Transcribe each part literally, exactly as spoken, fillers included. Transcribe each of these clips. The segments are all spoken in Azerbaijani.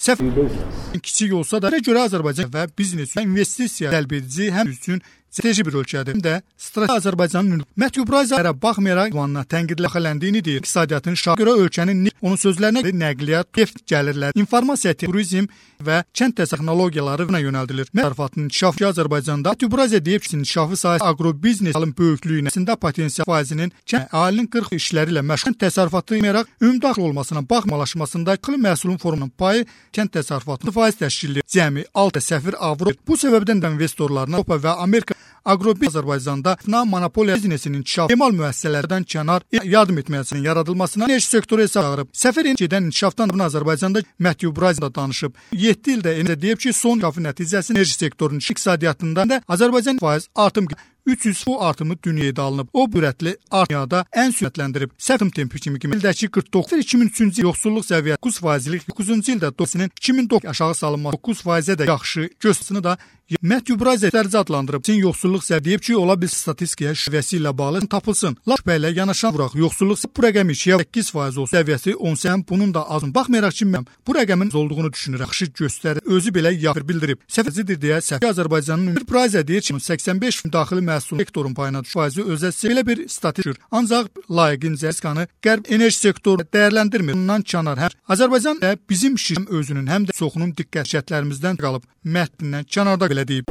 Səfər kiçik olsa da görə Azərbaycan və biznes üçün investisiya cəlb edici həm üçün strateji bir ölkədir. Həm də strateji Azərbaycanın Məktubraziyaya baxmayaraq ünvanına tənqidlə xələndiyini deyir. İqtisadiyyatın şahı görə ölkənin onun sözlərinə nəqliyyat, neft gəlirləri, informasiya, turizm və kənd texnologiyalarına yönəldilir. Təsərrüfatın inkişafı Azərbaycanda Məktubraziya deyib ki, inkişafı sahəsi aqrobiznesin böyüklüyünə patensiyal faizinin əhalinin qırx işləri ilə məşğul təsərrüfatı yərək ümumdaxil olmasına baxmalaşmasında iqlim məhsulun formunun payı kənd təsərrüfatının faiz təşkil edir. Cəmi altı səfir avro. Bu səbəbdən də investorlarına Avropa və Amerika Aqrobiznes Azərbaycanda monopoliya biznesinin inkişafı, emal müəssisələrdən kənar yardım etməsinin yaradılmasına enerji sektoru hesab çağırıb. Səfərin gedən inkişafdan Azərbaycanda Məktubraziyada danışıb. yeddi ildə enerji deyib ki, son inkişafı nəticəsində enerji sektorunun iqtisadiyyatında da Azərbaycan faiz artım üç yüz bu artımı dünyaya alınıb. O bürətli dünyada ən sürətləndirib. Səfim tempi kimi ildəki qırx doqquz iki min üçüncü il yoxsulluq səviyyəsi doqquz faizlik, doqquzuncu ildə doqquzun iki min doqquz aşağı salınması doqquz faizə də yaxşı göstərisini də Məktubraziya dərəcə adlandırıb. Çin yoxsulluq səviyyəsi deyib ki, ola bilsin statistikaya şübhəsi ilə bağlı tapılsın. Lap şübhə yanaşan vuraq. Yoxsulluq bu rəqəmi ikiyə səkkiz faiz olsa səviyyəsi on səkkiz bunun da azın. Baxmayaraq ki, mən bu rəqəmin olduğunu düşünürəm. Yaxşı göstərir. Özü belə yaxır bildirib. Səfərcidir deyə Səfər Azərbaycanın Məktubraziya deyir ki, səksən beş daxili məhsul sektorun payına düşür. Faizi özəsi belə bir statistik. Ancaq layiqincə riskanı Qərb enerji sektoru dəyərləndirmir. Bundan kənar həm Azərbaycan da bizim şirkətin özünün həm də çoxunun diqqət şərtlərimizdən qalıb. Mətnindən kənarda belə deyib.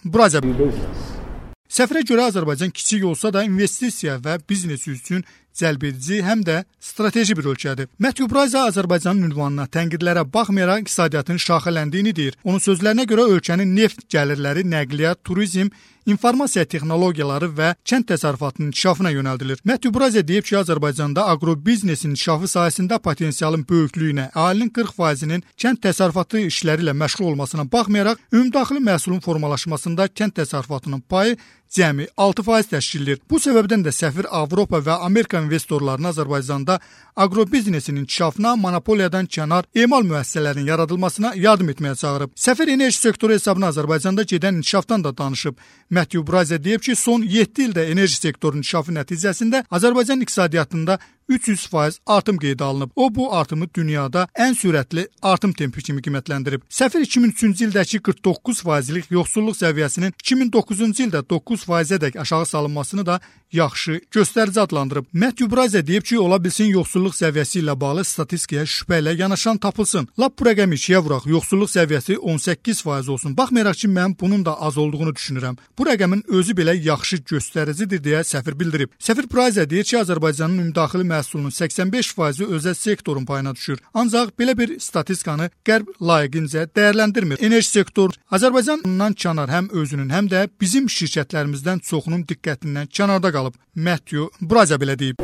Buraca Səfərə görə Azərbaycan kiçik olsa da investisiya və biznes üçün cəlb edici həm də strateji bir ölkədir. Məktubraziya Azərbaycanın ünvanına tənqidlərə baxmayaraq iqtisadiyyatın şaxələndiyini deyir. Onun sözlərinə görə ölkənin neft gəlirləri, nəqliyyat, turizm, informasiya texnologiyaları və kənd təsərrüfatının inkişafına yönəldilir. Məktubraziya deyib ki, Azərbaycanda aqrobiznesin inkişafı sahəsində potensialın böyüklüyünə, əhalinin qırx faizinin kənd təsərrüfatı işləri ilə məşğul olmasına baxmayaraq, ümumdaxili məhsulun formalaşmasında kənd təsərrüfatının payı cəmi altı faiz təşkil edir. Bu səbəbdən də səfir Avropa və Amerika investorlarını Azərbaycanda aqrobiznesin inkişafına monopoliyadan kənar emal müəssisələrinin yaradılmasına yardım etməyə çağırıb. Səfir enerji sektoru hesabına Azərbaycanda gedən inkişafdan da danışıb. Məktubraziya deyib ki, son yeddi ildə enerji sektorunun inkişafı nəticəsində Azərbaycan iqtisadiyyatında üç yüz faiz artım qeydə alınıb. O bu artımı dünyada ən sürətli artım tempi kimi qiymətləndirib. Səfir iki min üçüncü ildəki qırx doqquz faizlik yoxsulluq səviyyəsinin iki min doqquzuncu ildə doqquz faizədək aşağı salınmasını da yaxşı göstərici adlandırıb. Məktubraziya deyib ki, ola bilsin yoxsulluq səviyyəsi ilə bağlı statistikaya şübhə ilə yanaşan tapılsın. Lap bu rəqəmi ikiyə vuraq. Yoxsulluq səviyyəsi on səkkiz faiz olsun. Baxmayaraq ki, mən bunun da az olduğunu düşünürəm. Bu rəqəmin özü belə yaxşı göstəricidir deyə səfir bildirib. Səfir Braziya deyir ki, Azərbaycanın ümumdaxili məhsulunun səksən beş faizi özəl sektorun payına düşür. Ancaq belə bir statistikanı Qərb layiqincə dəyərləndirmir. Enerji sektoru Azərbaycandan kənar həm özünün, həm də bizim şirkətlərimizdən çoxunun diqqətindən kənarda qalıb. Məktubraziya belə deyib.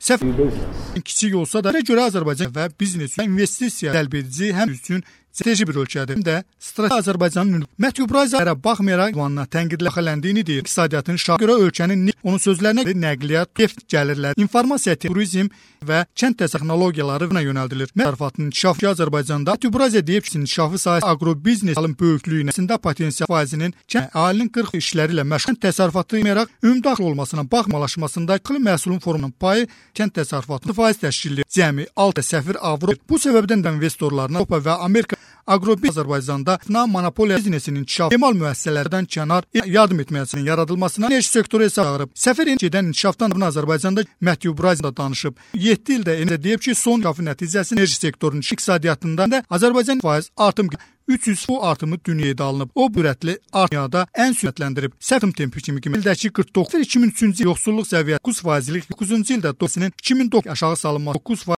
Səfər kiçik olsa da görə Azərbaycan və biznes üçün investisiya cəlb edici həm üçün strateji bir ölkədir. Həm də strateji Azərbaycanın Məktubraziya baxmayaraq ünvanına tənqidlə xələndiyini deyir. İqtisadiyyatın şahı görə ölkənin onun sözlərinə nəqliyyat, neft gəlirləri, informasiya, turizm və kənd texnologiyalarına yönəldilir. Təsərrüfatın inkişafı Azərbaycanda Məktubraziya deyib ki, inkişafı sahəsi aqrobiznesin böyüklüyünə potensial faizinin əhalinin qırx işləri ilə məşğul təsərrüfatı yərək ümumdaxil olmasına baxmalaşmasında iqlim məhsulun formunun payı kənd təsərrüfatının faiz təşkil edir. Cəmi altı səfir avro. Bu səbəbdən də investorlarına Avropa və Amerika Aqrobiznes Azərbaycanda monopoliya biznesinin inkişafı, emal müəssisələrdən kənar yardım etməsinin yaradılmasına enerji sektoru hesab çağırıb. Səfərin gedən inkişafdan Azərbaycanda Məktubraziya danışıb. yeddi ildə enerji deyib ki, son inkişafı nəticəsində enerji sektorunun iqtisadiyyatında da Azərbaycan faiz artım üç yüz bu artımı dünyaya alınıb. O bürətli dünyada ən sürətləndirib. Səfim tempi kimi ildəki qırx doqquz iki min üçüncü il yoxsulluq səviyyəsi doqquz faizlik, doqquzuncu ildə doqquzun iki min doqquz aşağı salınması doqquz